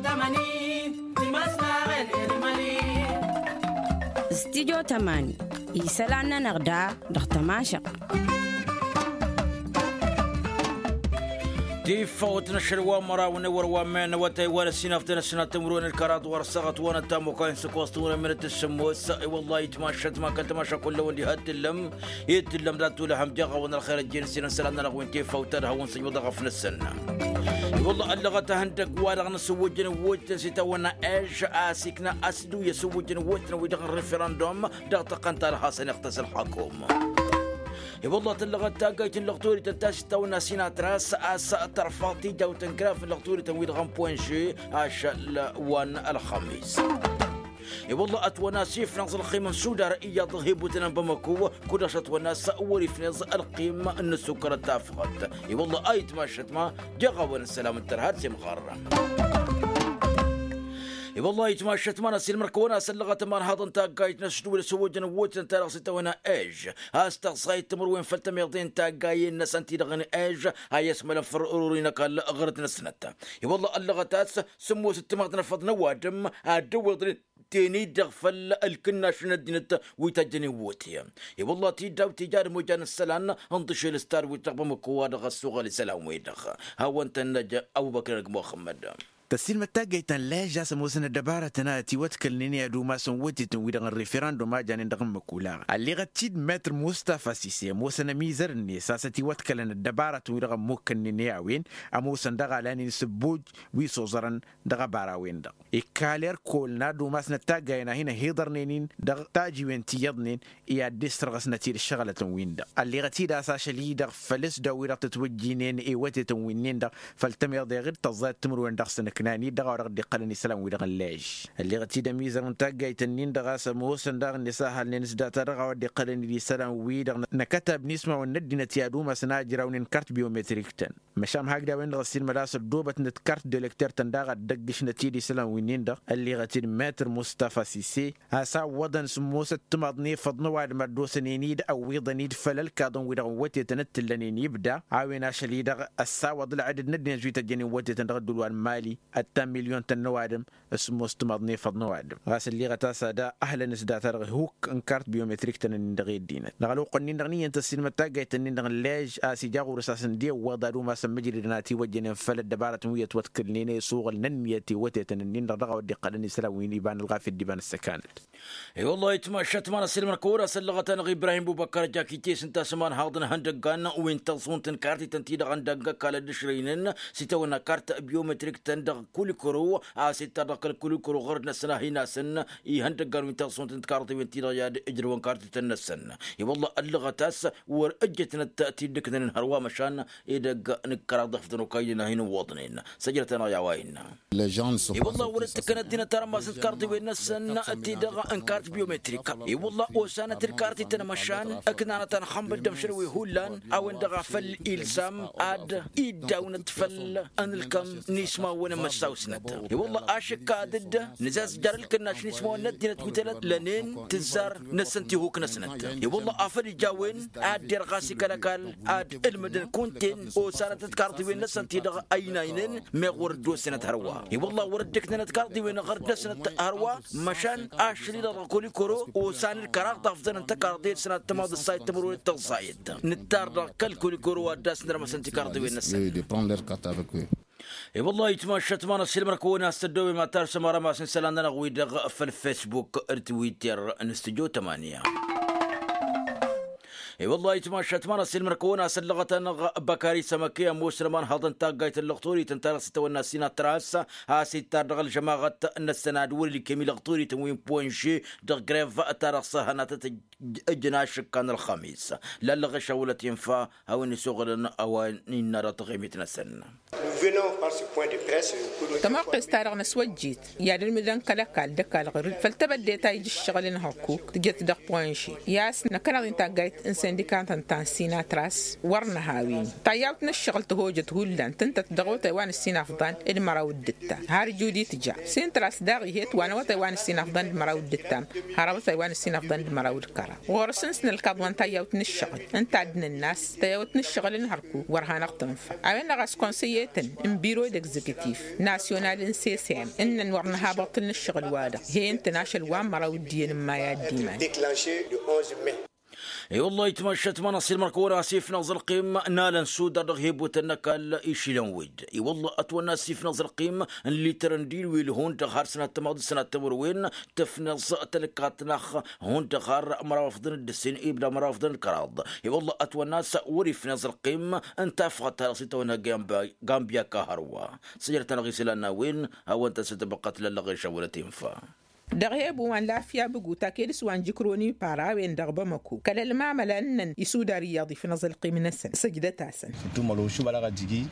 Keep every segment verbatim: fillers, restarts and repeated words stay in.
Tămani timăsnaɣen elmăli. Studyo tămani isălan-nănăɣ da dăɣ-tămašăɣt. Tifawt n-ašăl wa n-măraw n-ewăr wa n-men n-awătay wa n-ăssinaften ăssinat timǝrwen d-kăraḍ wăr săɣăt wa n-ăttamukay n-săkwas timǝrwen minăt s-sămmos. I-wălla itmašăt ma kăl-tămaša kull-ewăn diha t-tǝllăm. Itǝllăm dat-tulăhăm jaɣ-awăn ălxer ăjjeen s-inăn isălan-nănăɣ wi n-tifawt ad-hawăn-săjmăḍ ăɣăf-năsăn. I-wălla ăllăɣăt ahăndăgg-wa-dăɣ n-asǝwwǝjjăn iwwǝjtăn s-itawănna ež a-s ikna asǝdǝw i-asǝwwǝjjăn iwwǝjtăn wi-dăɣ n-referăndum dăɣ-tăqqăn ta ălxasăn iɣtăs ălxakum. I-wălla tǝllăɣăt taggayt n-lăɣturităn ta s-itawănna sinatras a-s tărfaḍ tijawt n-graf n-lăɣturităn wi-dăɣ n-poinže ašăl wa n-ălxămis. I-wălla ătwănna s-ifnăẓ ălxim n-sudar iyyăḍ ăhibutăn n-bamăko. Kud-dăɣ s-ătwănna s-wăr-ifnăẓ ălxim n-ăssukărăt tafɣăt. I-wălla a itmašăt ma jeɣ-awăn ăssălam d-tărha d-simɣăr. I-wălla a itmašăt ma n-ăsilmăr-kăwăn-asăllăɣăt ămanhaḍăn taggayt n-ăsdǝwǝl s-ăwwăjăn ăwwătăn ta dăɣ-s itawănna ež a-s tăɣsayăt timǝrwen făll-tămiḍe n-taggayen-năsăn ti-dăɣ n-ež a i-ăsmălăn făll-ărori n-ăkall ɣărăt-năsnăt. I-wălla ăllăɣăt a-s sǝmmos ǝttǝmaḍ n-afăḍ n-ăwadǝm ad-dd-ăwwiḍăn tenit dăɣ-făll ǝlkǝnnaš n-ăddinăt wi tăjjăn iwwătăyăn. I-wălla tidawt tija d-ămoja n-isălan n-tišel s-tadwit dăɣ-bamăko wa dăɣ-ăssuɣăl isălan-wi-dăɣ hawăn-tăn-năj. Abubăkr n-ăgg muxămmăd. Tăssiilmăd taggayt ta n-lež a-s ămoosăn ăddăbarătăn a ătiwătkălnen i-ad-umasăn wătetăn-wi-dăɣ n-referăndum a janen dăɣ-ǝmmǝk olaɣ ălleɣăt-dd metr mustafa sise ămoosăn ămizăr-net a-s ătiwătkălăn ăddăbarătăn-wi-dăɣ ămmukkănnen i-a-wen ămoosăn daɣ a lanen s-ǝbboj wi s-oẓărăn dăɣ-abara-wen-dăɣ. Ikal erkol n-ad-umasnăt taggayen a hin-ăhiḍărnen-in dăɣ-tajiwen ti iyyăḍnen i-ad-dd-issărɣăsnăt-dd ǝššăɣǝlătăn-win-dăɣ ălleɣăt-dd a-s ašăl-i-dăɣ făll-s daw-wi-dăɣ tǝtwǝjjinen i-wătetăn-win-nin-dăɣ făll-tămiḍe ɣǝd tăẓẓayăt timǝrwen dăɣ-săn-ǝknan-dd dăɣ-a-wa dăɣ-dd-iqqălăn isălan-wi-dăɣ n-lež. Ălleɣăt-dd ămizăr n-taggayt-ǝnnin-dăɣ a-s ămoosăn daɣ ǝnnis a halnen s-data dăɣ-a-wa dd-iqqălăn d-isălan-wi-dăɣ n-akătab n-ismawăn n-ăddinăt i-ad-umasăn ajrawnen kart biometrik-tăn. Măšan hakd a-wen-dăɣ ăssiilmăd a-s ăddoobătnăt kart d-elekter-tăn daɣ ad-dd-ăggǝšnăt-dd isălan-wi-nin-dăɣ ălleɣăt-dd metr mustafa sise a-s a ǝwwăḍăn sǝmmosăt timaḍ n-efăḍ n-ăwadǝm ad-dd-osănen-dd ăwwiḍăn-dd făll-ălkaḍăn-wi-dăɣ n-wătetăn d-t-ǝllănen ibda. A-wen ašăl-i-dăɣ ăssawăḍ ălɣădăd n-ăddinăt wi tăjjănen wătetăn dăɣ-ădduul wa n-mali ăttan milyon-tăn n-ăwadǝm. Sǝmmos timaḍ n-efăḍ n-ăwadǝm ɣas ǝlleɣăt a-s ad-ăhlăn s-data-dăɣ hukk n-kart biometrik-tăn-ǝnnin dăɣ-e ăddinăt dăɣ-ălwăqq-ǝnnin-dăɣ n-iyyăn tăssiilmăd taggayt-ǝnnin-dăɣ n-lež a-s ija ɣur-s a-s ǝndi ăwweḍ ad-umasăn mǝjridăn a ătiwăjjănen făll-ăddăbarătăn wi ătwătkǝlnen i-isuɣǝl n-ǝnniyăt i-wătetăn-ǝnnin-dăɣ dăɣ-a-wa dd-iqqălăn isălan wi n-iba n-ălɣafyăt d-iba n-ăssăkanăt. I-wăllah itmašat ma n-asǝlmăr kăwăr-asăllăɣăt-anăɣ ibrahim bubăkkăr ăjja kitesǝn tasǝmanhaḍ n-ihăndăggan wi n-tăẓunt n-kartităn-ti-dăɣ ăndăgg ăkall ăddǝšrăynen s-itawănna kart biometrik-tăn dăɣ-kulikăro a-s ittar dăɣ-kăl-kulikăro ɣărăt-năsăn a hin-asǝn ihăndăggan wi n-tăẓunt n-kartiwen-ti-dăɣ i-ad-ǝjrăwăn kartităn-năsăn. I-wăllah ăllăɣăt a-s wăr ǝjjătnăt tidǝknăn n-hărwa măšan edăgg n-ǝkkăraḍ dăɣ-fătăn okaynen a hin-ǝwwăḍnen. Săjdăt-anăɣ i-a-wa innă. I-wălla wăr-dd tǝkkăn ăddinăt armas n-tikarḍiwen-năsăn ti-dăɣ n-kart biometrika. I-wălla osanăt d-kartităn măšan ǝknanăt anxămbăl d-ămšăl wi hullan a-wen-dăɣ a făl ilsam ad-iddawnăt făll-ănǝlkăm n-ismawăn n-măssaw-snăt. I-wălla ašǝkka ad-dd-nǝzazjar ǝlkǝnnaš n-ismawăn n-ăddinăt wi tălăt lănen tǝzzar-năsăn tihuk-năsnăt. I-wălla a făl ija a-wen ad-derɣas ikăl ăkall ad-ǝlmǝdăn kunta-en osanăt d-karḍiwen-năsăn ti-dăɣ ăynaynen. Meɣ wăr dd-osenăt hărwa i-wălla wăr dd-ǝknănăt karḍiwen ɣărd-năsnăt hărwa. Măšan ašăl-i-dăɣ dăɣ-kolikoro osan d-kăraḍ afḍăn n-tăkarḍe d-sănat timaḍ ǝssayăt timǝrwen d-tăẓẓayăt. Nǝttar dăɣ-kăl-kolikoro wa dd-asnărmăsăn tikarḍiwen-năsăn. I-wălla itmašat ma n-asǝlmăr kăwăn-as tăddobem ad-tarsăm arămas n-isălan-nănăɣ wi-dăɣ făll-fesbuk d-twitter n-studyo tămanya. I-wălla itmašat ma n-asǝlmăr kăwăn-as ăllăɣăt-anăɣ băkari sămăke ămoosăn ămanhăḍ n-taggayt n-lăɣturităn ta dăɣ-s itawănna sinatras a-s ittar dăɣ-ălžămaɣăt-năsăn ad-wăr-ǝlkem i-lăɣturităn wi n-ponže dăɣ-grev ta dăɣ-s hănatăt ǝjǝn ašǝkka n-ălxămis. Lallăɣ ešăwălăt infa a-wen isuɣǝlăn a-wa n-innă dăɣ-taɣimit-năsăn. Tămoqqest-ta-dăɣ năswăjjit i-ad-ǝlmǝdăn kăl-ăkall d-ăkall ɣǝrǝd făll-tebădde ta ija ǝššăɣǝl n-hăkkuk tǝjăt dăɣ-ponže i-a-s năkkăneḍ-in taggayt n-sindikantăn ta n-sinatras. Wăr nǝha a-wen tayyawt n-ǝššăɣǝl tăhojăt hullan tǝntăt dăɣ-awătay wa n-ǝssin afḍan d-măraw d-ǝttam har ǝjud-i tǝja. Sintras daɣ ihet wa n-awătay wa n-ǝssin afḍan d-măraw d-ǝttam har awătay wa n-ǝssin afḍan d-măraw d-kăraḍ ɣur-s n-săn ǝlkaḍ wa n-tayyawt n-ǝššăɣǝl ǝnta a dd-nǝnn'-as tayyawt n-ǝššăɣǝl n-hărkuk wăr hanăɣ-tǝnfa. A-wen-dăɣ a-s konsăyyetăn n-biro d-egzekitif nasyonal n-sesem ǝnnăn wăr nǝha băṭṭǝl n-ǝššăɣǝl-wa-dăɣ he ǝntăn ašăl wa n-măraw d-iyyăn n-may a dd-iman. I-wălla-hi tmašat ma n-asilmăr kăwăn-as ifnăẓ ălqim n-alăn sudar dăɣ-hebutăn n-ăkall išilăn wed. I-wălla ătwănna s-ifnăẓ ălqim n-lităr n-dilwil hundăɣ har sănat tămaḍ d-sănat tămărwen. Tǝfnăẓ tălkaḍt-năɣ hundăɣ har măraw afḍăn d-ǝssin ibda măraw afḍăn d-kăraḍ. I-wălla ătwănna s-wăr-ifnăẓ ălqim n-tafɣăt ta dăɣ-s itawănna gambia ka hărwa. Sǝjrăt-anăɣ isălan n-a-wen hawăn-tăn s-tăbăqqăt lăllăɣ išăwălăt infa. Dăɣ-hebu wa n-lafya bǝgu taked s-wa n-jikroni para a-wen dăɣ-bamăko kăl-ălmamăla ǝnnăn isudar iyyăḍ ifnăẓ ălqim-năsăn săjdăt-asăn. Ǝntum ălwăšub a lăɣ ajǝgi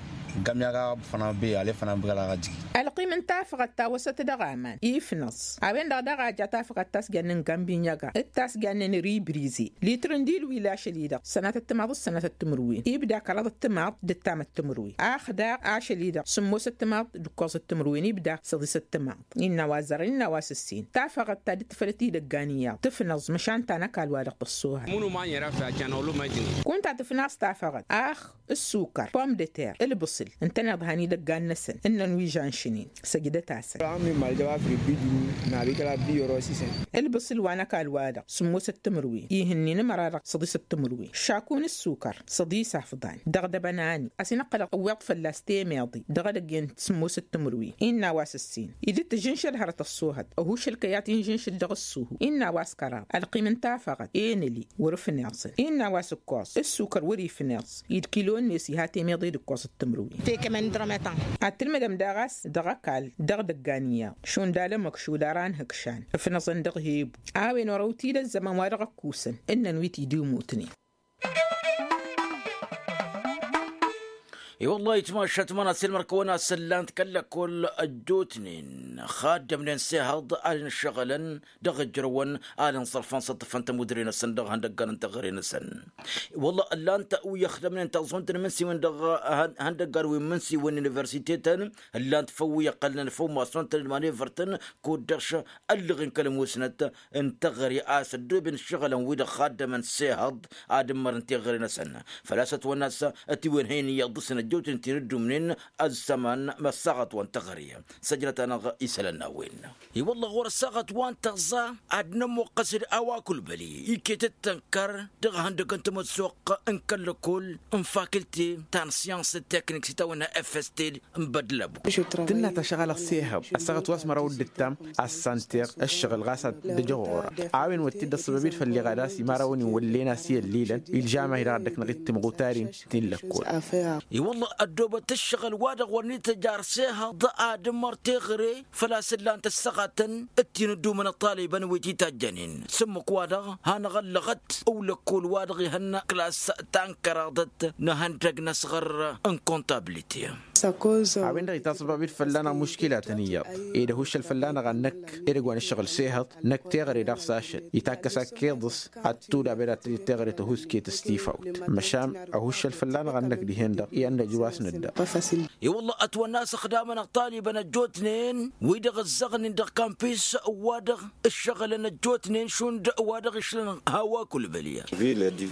gamya ɣa fănăn be ale fănăn bǝgăl a lăɣ ajǝgi. Ălqim n-tafăɣăt ta wăsăt dăɣ-aman ifnăẓ a-wen-dăɣ daɣ a ja tafăɣăt ta s-jannen gambinyăga d-ta s-jannen ribrize litr n-dilwil ašăl-i-dăɣ sănatăt timaḍ d-sănatăt timǝrwen ibda kăraḍăt timaḍ d-ǝttamăt timǝrwen. Ax daɣ ašăl-i-dăɣ sǝmmosăt timaḍ d-ǝkkoẓăt timǝrwen ibda săḍisăt timaḍ. Innă a-wa ăzzărăn innă a-wa s-ǝssin tafăɣăt ta dd-tǝfălăt idăggan iyyăḍ tǝfnăẓ măšan ta n-ăkall-wa-dăɣ tăṣṣuhăt. Mănu ma n-ira făyya canăwlum ajǝn. Kunta tǝfnaẓ tafăɣăt ax ǝssukăr pom de ter ǝlbǝṣǝl ǝntăneḍ han idăggan-năsăn ǝnnăn wi žanšǝnen. Săjdăt-asăn. Ǝlbǝṣǝl wa n-ăkall-wa-dăɣ sǝmmosăt timǝrwen ihǝnnin ămăra-dăɣ săḍisăt timǝrwen šakun ǝssukăr săḍis afḍan dăɣ-dăbănani a-s inăqqălăɣ ăwweḍ fălla-s temeḍe dăɣ-edăgg-en sǝmmosăt timǝrwen. Innă a-wa s-ǝssin idǝt tǝžǝnšăl hărăt ăṣṣuhăt ăhušăl kăyat inžǝnšǝl dăɣ-ǝṣṣuhu. Innă a-wa s-kăraḍ ălqim n-tafăɣăt enăli wăr-ǝfneẓ innă a-wa s-ǝkkoẓ ǝssukăr wăr-ifneẓ. Id kilo-net iha temeḍe d-ǝkkoẓăt timǝrwen. Ad-tǝlmǝdăm daɣ a-s dăɣ-ăkall dăɣ-idăggan iyyăḍ šund alămăkšud ara n-hǝkšan ǝfnăẓăn dăɣ-hebu. A-wen orăw-t-dd ăzzăman wa dăɣ-ăkkusăn ǝnnăn wi t-dd-imutnen. I-wăllah itmašat ma n-asilmăr-kăwăn-asăn ǝllan-t kăl-lăkkol ăjjootnen xaddămnen s-ehăḍ ad-inǝššăɣǝlăn dăɣ-ijrăwăn ad-inẓărfăn s-ăṭṭăfăn tămudre-năsăn dăɣ-ihăndăggan n-teɣăre-năsăn. I-wăllah ǝllan-t wi ăxdămnen taẓunt n-imǝnsiwăn dăɣ-ihăndăggan wi n-imǝnsiwăn n-universitetăn ǝllan-t făw wi ăqqălnen făw massont n-manevărtăn kud-dăɣ ăllăɣen kăl-musnăt n-teɣăre a-s ăddooben ǝššăɣǝlăn-wi-dăɣ xaddămăn s-ehăḍ ad-ǝmmărăn teɣăre-năsăn. Făl-a-s ătwănna a-s ătiwănhăyăn iyyăḍ dăɣ-săn ăjjootnen ti n-ădduumnen ăzzăman măssaɣăt wa n-teɣăre. Săjrăt-anăɣ isălan n-a-wen. I-wăllah ɣur-ăssaɣăt wa n-tăẓẓa ad-nămmuqqăs-dd a-wa kăl-băli iket d-tănkăr dăɣ-ihăndăg n-tamăssoqq n-kăl-lăkkol n-fakilte ta n-siyans teknik s-itawănna fst n-bădlăbu. Tǝnna tašɣalăɣ s-ehăḍ ăssaɣăt wa s-măraw d-ǝttam assanter ǝššăɣǝl ɣas ad-t-dd-ăjăɣ ɣur-a a-wen wăr t-dd-ăṣṣăbăb-dd făll-iɣad a-s imărawăn inwăllen a-s i-ăllilăn ilžam a hi-dăɣ ăddăknăɣ-dd timɣutaren ti n-lăkkol. I-wălla ăddoobăt ǝššăɣǝl-wa-dăɣ wăr n-ităjj ar s-ehăḍ ad-ǝmmăr teɣăre făl-a-s ǝllan-t ăssaɣatăn d-ti n-ădduumăn ăṭṭalibăn wi t-itajjănen s-ǝmmǝk-wa-dăɣ hanăɣ-ăllăɣăt ăwlăkkol-wa-dăɣ ihănna klas ta n-kăraḍăt n-ihăndăg n-asɣăr n-kontablite. A-wen-dăɣ itaẓbab-dd fălla-năɣ muškilatăn iyyăḍ ed ăhuššăl fălla-năɣ ad-năkk edăgg wa n-ǝššăɣǝl s-ehăḍ năkk teɣăre daɣ s-ašăl itakkăs akkeḍ-s ad-tudab ed ad-tăjăt teɣăre tăhusket s-tifawt măšan ăhuššăl fălla-năɣ ad-năkk dihen-dăɣ i-ad-năj wa s-nǝdda. I-wălla ătwănna a-s ăxdamăn ăṭṭalibăn ăjjootnen wi-dăɣ ǝzzăɣnen dăɣ-kampis wa-dăɣ ǝššăɣǝlăn ăjjootnen šund wa dăɣ-išlăn hawa kăl-bălya.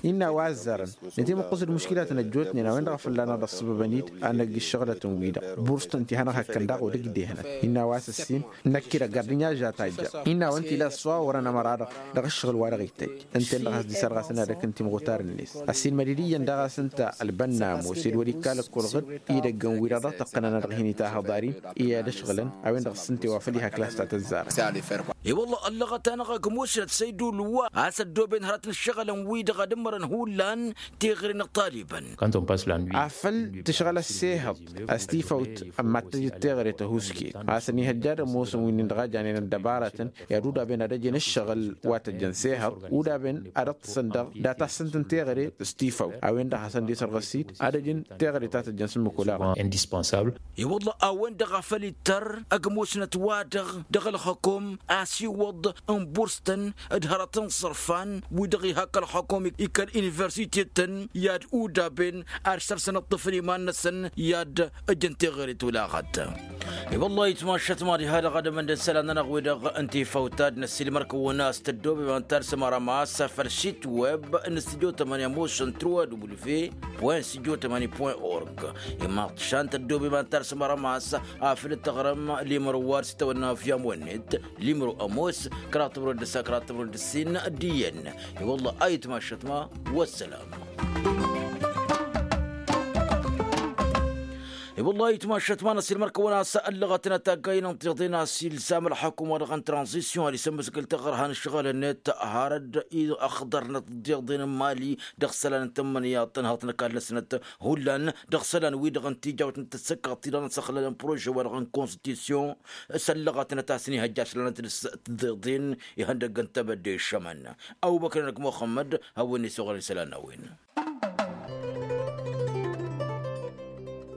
Innă a-wa ăzzarăn nătimǝqqǝs d-muškilatăn ăjjootnen a-wen-dăɣ a fălla-năɣ dd-ăṣṣăbăbăn-dd ad-năgg iššăɣǝlătăn-wi-dăɣ burs-tăn ti hanăɣ-hăkkăn daɣ odăgg dd-ehnăt. Innă a-wa s-ǝssin năkk-i-dăɣ gardǝnya žatayja innă a-wăn t-ila ăṣṣuwa wărăn ămăra-dăɣ dăɣ-ǝššăɣǝl-wa-dăɣ ittăjj ǝnta-en-dăɣ a-s dd-isărɣasăn ad-ăkk n-timɣutar-net. Ăssiilmăd-dd iyyăn daɣ a-s ǝnta ălbănna ămoos ed wăr-ikka lăkkol ɣǝd idăgg n-wi-dăɣ dăɣ-tăqqănăn ad-dăɣ-hin-itahăḍ arim i-ad-ăšɣǝlăn a-wen-dăɣ s-ǝnta i-wa făl iha klas ta tăzzarăn. I-wălla ăllăɣăt-anăɣ ăgg musnăt săydul wa a-s ăddooben hărăt n-ǝššăɣǝlăn-wi-dăɣ ad-ǝmmărăn hullan teɣăre n-ăṭṭalibăn. Afăl tǝšɣăl ăssehăḍ a-s tifawt ămmattăjăt teɣăre tăhusket a-s ănihăjja d-ămoosăn wi-nin-dăɣ a janen ăddăbarătăn i-ad-udaben ad-ăjǝn ǝššăɣǝl wa tăjjăn s-ehăḍ udaben ad-ǝṭṭǝsăn dăɣ-data-săn tǝnteɣăre s-tifawt a-wen-dăɣ hasăn-dd-isărɣăs-dd ad-ăjǝn teɣăre ta tăjjăn s-ǝmmǝk olaɣăn. I-wălla a-wen-dăɣ a făl ittăr ăgg musnăt-wa-dăɣ dăɣ-ălxăkom a s-tiwǝḍ n-burs-tăn d-hărăt n-iṣărfan wi-dăɣ iha kăl-ălxukum i-kăl-universite-tăn i-ad-udaben ad-săr-săn ǝṭṭǝfăn iman-năsăn i-ad-ǝjǝn teɣăre tulaɣăt. I-wăllah itmašăt mad-iha dăɣ-ad-ămăndăn isălan-nănăɣ wi-dăɣ n-tifawt ta d-năssiilmăr-kăwăn a-s tăddoobem ad-talsăm arămas făll-sit web n-studio tămănǝya mošăn truwa w point studio tămănǝya point org. Imaḍšan tăddoobem ad-talsăm arămas afăl dd-tăɣrăm limro wa d-s tăwănna afyam wănnet limro ămoos kăraḍ tămăro d-ǝssa kăraḍ tămăro d-ǝssin d-iyyăn. I-wăllah a itmašăt ma. Wăssălam. I-wăllah itmašăt ma n-ăsilmăr-kăwăn a-s ăllăɣătnăt taggaynen tiḍen a-s ilsam ălxukum wa dăɣ-n tranzisyon ad-isǝmmǝskǝl taɣărha n-ǝššăɣǝl-net har dd-iɣḍărnăt tiḍen n-mali dăɣ-isălan n-tǝmmǝnǝyaḍt n-hăḍnăkall-năsnăt hullan dăɣ-isălan-wi-dăɣ n-tijawt n-tǝssǝkkaḍt-i-dăɣ n-săxlălăn prože wa dăɣ-n konstitisyon. S-ăllăɣătnăt a-s n-ihăjja ašălănăt d-tiḍen ihăndăgg n-tebădde iššămăn. Ăwbăkăn-năk muxămmăd hawăn-isuɣălăn isălan n-a-wen.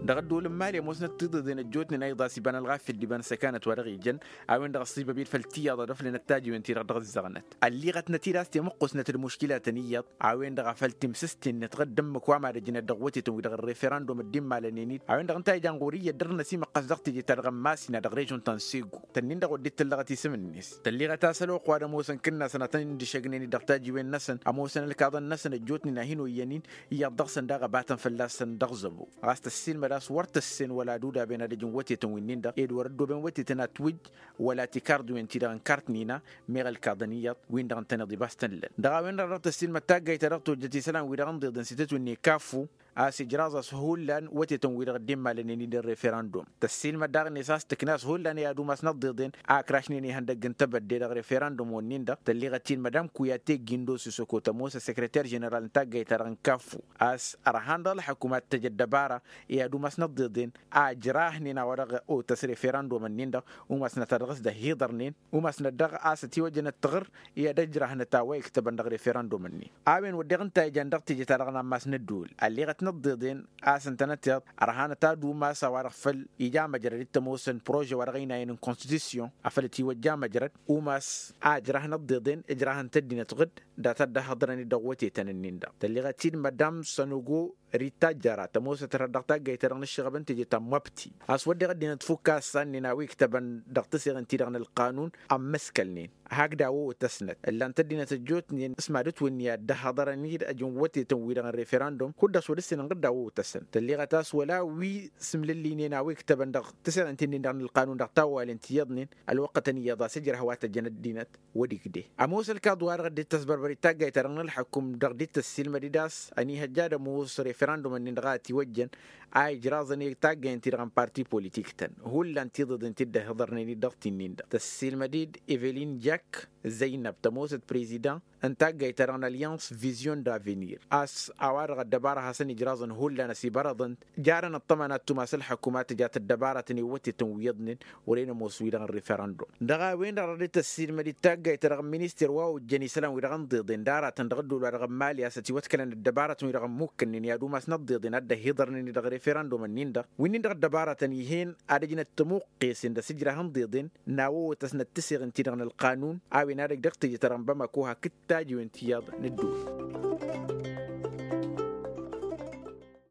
Dăɣ-ădduul n-mali ămoosnăt tiḍeḍen ăjjootnen a iḍas iba n-ălɣafyăt d-iba n-săkanăt wa dăɣ-ijăn a-wen-dăɣ ăṣṣibăb-dd făll-tiyyăḍ ad-ăflănăt tajiwen-ti-dăɣ dăɣ-ǝzzăɣnăt ălliɣătnăt-dd a-s temǝqqusnăt d-muškilatăn iyyăḍ. A-wen-dăɣ a făl timsǝsten-net ɣǝdd ǝmmǝk wa mad-ăjnăt dăɣ-wătetăn-wi-dăɣ n-referandum dd-immalănen-dd a-wen-dăɣ ǝnta a ijan ɣur-iyyăt dăr-năsimăqqas dăɣ-teje-ta-dăɣ n-masina dăɣ-režon ta n-segu tănnin-dăɣ wăr dd-tǝllăɣăt isǝm-net tălliɣăt a-s ălwăqq wa d-ămoosăn kǝnnasăn ad-tăn-dd-ǝššăgnen-dd dăɣ-tajiwen-năsăn ămoosăn ălkaḍăn-năsăn ăjjootnen a hin-oyyăn-in iyyăḍ dăɣ-săn daɣ ăbatăn fălla-săn dăɣ-zăbo. Ɣas tăssiilmăd a-s wăr tăssen wăla ad-udaben ad-ăj n-wătetăn winnin-dăɣ ed wăr-ăddooben wătetăn atwǝjj wăla tikarḍiwen-ti-dăɣ n-kartnina meɣ ălkaḍăn iyyăḍ win-dăɣ ǝntăneḍ ibas tăn-lăn dăɣ-a-wen-dăɣ dăɣ-tăssiilmăd taggayt ta dăɣ-tojjăt isălan-wi-dăɣ ǝnḍeḍen s-itǝtwǝnne kafu a-s ijraẓ-as hullan wătetăn-wi-dăɣ dd-immalănen-dd n-referandum. Tăssiilmăd daɣ-net a-s tǝkna a-s hullan i-ad-umasnăt ḍeḍen a ǝkrašnen ihăndăgg n-tebădde dăɣ-referandum-wǝnnin-dăɣ tălliɣăt-in madam kuyate gindo s-isokot ămoos ăsekreter ženeral n-taggayt-ta-dăɣ n-kafu a-s ărhan dăɣ-ălxăkum ad-t-tăj ăddăbara i-ad-umasnăt ḍeḍen a ǝjrahnen a-wa-dăɣ otăs referandum-ǝnnin-dăɣ umasnăt a dăɣ-s dd-ăhhiḍărnen umasnăt daɣ a-s ătiwăjjăn ăttăɣǝr i-ad-ǝjrahnăt a-wa iktăbăn dăɣ-referandum-ǝnnin. A-wen wădden ǝnta a ijan dăɣ-teje-ta-dăɣ n-ammas n-ădduul ălleɣăt n-ăḍḍeḍen a-s ǝntănăteḍ ărhanăt ad-umas a-wa-dăɣ făl ija măjrăd d-tămoosăn prože wa dăɣ-ăynayăn n-konstitusyon afăl ătiwăjja măjrăd umas a ǝjrahăn ăḍḍeḍen ǝjrahăn-t ăddinăt ɣǝd data dd-ăhhăḍărăn-dd dăɣ-wătetăn-ǝnnin-dăɣ tălleɣăt-dd madam sănogo rittajjăra tămoosăt hărăt dăɣ-taggayt-ta-dăɣ n-ǝššăɣăb n-teje ta n-măbti a-s wădden ăddinăt fukk a ǝssannen a-wa iktăbăn dăɣ-tǝseɣen-ti-dăɣ n-ălqanun ămmǝskălnen hakd a-wa otăsnăt ǝllan-t ăddinăt ăjjootnen s-mad-ǝtwǝnni ad-dd-ăhhăḍărăn-dd ăj n-wătetăn-wi-dăɣ n-referandum kud-dăɣ s-wăr-dd-ǝssin ǝnɣǝd a-wa otăsăn tălleɣăt a-s wăla wi sǝmlǝllinen a-wa iktăbăn dăɣ-tǝseɣen-ti-nin-dăɣ n-ălqanun dăɣ-tawwalen ti iyyăḍnen ălwăqqătăn iyyăḍ a-s ǝjrăh wa tăjjăn ăddinăt wăr-igde. Ămoos ălkaḍ-wa-dăɣ dd-tăsbărbăr i-taggayt-ta-dăɣ n-ălxăkum dăɣ-dd-tăssiilmăd-dd a-s ănihăjja ad-ămoos referandum-ǝnnin-dăɣ a ătiwăjjăn a ijraẓăn i-taggayăn-ti-dăɣ n-parti politik-tăn hullan tiḍeḍen ti dd-ăhiḍărnen-dd dăɣ-ti-nin-dăɣ tăssiilmăd-dd evelin jak zăynăb tămoosăt prezidant n-taggayt-ta-dăɣ n-alyans vizyon d-avenir a-s a-wa-dăɣ ăddăbara hasăn-ijraẓăn hullan ăsibărăḍăn jarăn ăṭṭăma n-ad-tumas ălxăkum ad-tǝjat ăddăbaratăn i-wătetăn wi iyyăḍnen wăren ămoos wi-dăɣ n-referandum. Dăɣ-a-wen-dăɣ dăɣ-dd-tăssiilmăd-dd taggayt-ta-dăɣ n-minister wa ojjăn isălan-wi-dăɣ n-ḍeḍen d-aratăn dăɣ-ădduul wa dăɣ-n mali a-s ătiwătkălăn ăddăbaratăn-wi-dăɣ ămmukkănnen i-ad-umasnăt ḍeḍen ad-dd-ăhiḍărnen-dd dăɣ-referandum-ǝnnin-dăɣ wi-nin-dăɣ ăddăbaratăn ih'-en ad-ăjnăt tămuqqesen d-asǝjrah n-ḍeḍen n-a-wa otăsnăt tǝseɣen-ti-dăɣ n-ălqanun a-wen ad-ăj dăɣ-teje-ta-dăɣ n-bamako hakd tajiwen ti iyyăḍ n-ădduul.